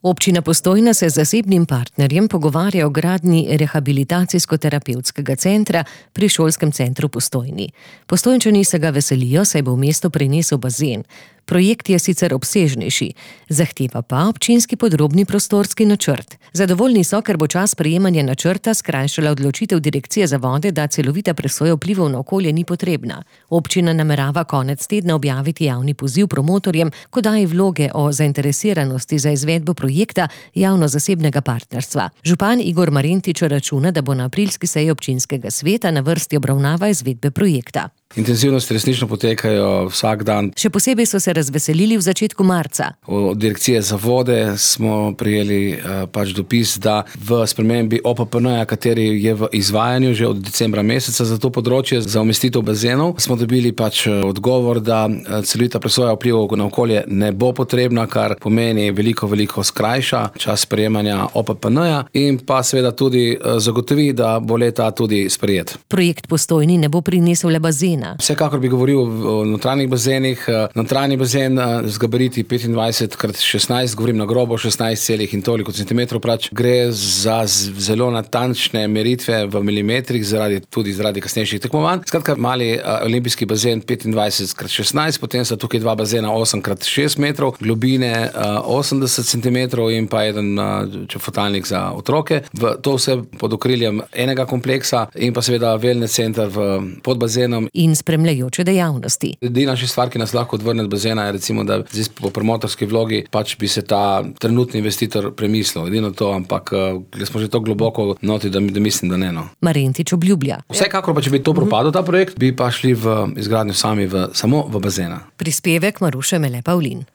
Občina Postojna se z zasebnim partnerjem pogovarja o gradnji rehabilitacijsko-terapevtskega centra pri šolskem centru Postojni. Postojnčani se ga veselijo, saj bo v mesto prinesel bazen. Projekt je sicer obsežnejši, zahteva pa občinski podrobni prostorski načrt. Zadovoljni so, ker bo čas sprejemanja načrta skrajšala odločitev Direkcije za vode, da celovita presoja vplivov na okolje ni potrebna. Občina namerava konec tedna objaviti javni poziv promotorjem, ko daje vloge o zainteresiranosti za izvedbo projekta javno-zasebnega partnerstva. Župan Igor Marentič računa, da bo na aprilski seji občinskega sveta na vrsti obravnava izvedbe projekta. Intenzivnosti resnično potekajo vsak dan. Še posebej so se razveselili v začetku marca. Od Direkcije za vode smo prejeli dopis, da v spremembi OPPN-ja, kateri je v izvajanju že od decembra meseca za to področje, za umestitev bazenov, smo dobili odgovor, da celovita presoja vplivov na okolje ne bo potrebna, kar pomeni veliko skrajša čas sprejemanja OPPN-ja in pa seveda tudi zagotovi, da bo le-ta tudi sprejet. Projekt Postojni ne bo prinesel le bazena. Vsekakor bi govoril o notranjih bazenih. Notranji bazen z gabariti 25x16, govorim na grobo 16 in toliko centimetrov, gre za zelo natančne meritve v milimetrih, tudi zaradi kasnejših tekmovanj. Skratka, mali olimpijski bazen 25x16, potem so tukaj dva bazena 8x6 metrov, globine 80 centimetrov in pa eden čofotalnik za otroke. To vse pod okriljem enega kompleksa in pa seveda wellness center pod bazenom. In spremljajoče dejavnosti. Edina stvar, ki nas lahko odvrne od bazena, je recimo, da zdaj po promotorski vlogi bi se ta trenutni investitor premislil. Edino to, ampak smo že to globoko noti, da mislim, da ne. Marentič obljublja. Vsekakor če bi to propadel ta projekt, bi pa šli v izgradnjo samo v bazena. Prispevek Maruše Mele Pavlin.